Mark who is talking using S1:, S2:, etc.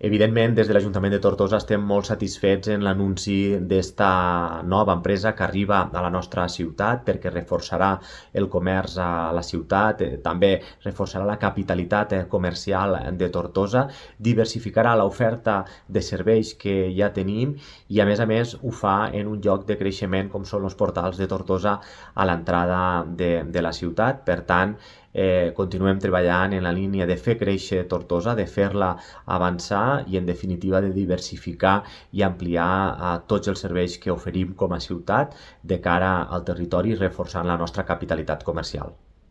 S1: Evidentment, des de l'Ajuntament de Tortosa estem molt satisfets en l'anunci d'esta nova empresa que arriba a la nostra ciutat perquè reforçarà el comerç a la ciutat, també reforçarà la capitalitat comercial de Tortosa, diversificarà l'oferta de serveis que ja tenim i a més ho fa en un lloc de creixement com són els portals de Tortosa a l'entrada de la ciutat. Per tant, continuem treballant en la línia de fer créixer Tortosa, de fer-la avançar i en definitiva de diversificar i ampliar tots els serveis que oferim com a ciutat de cara al territori, reforçant la nostra capitalitat comercial.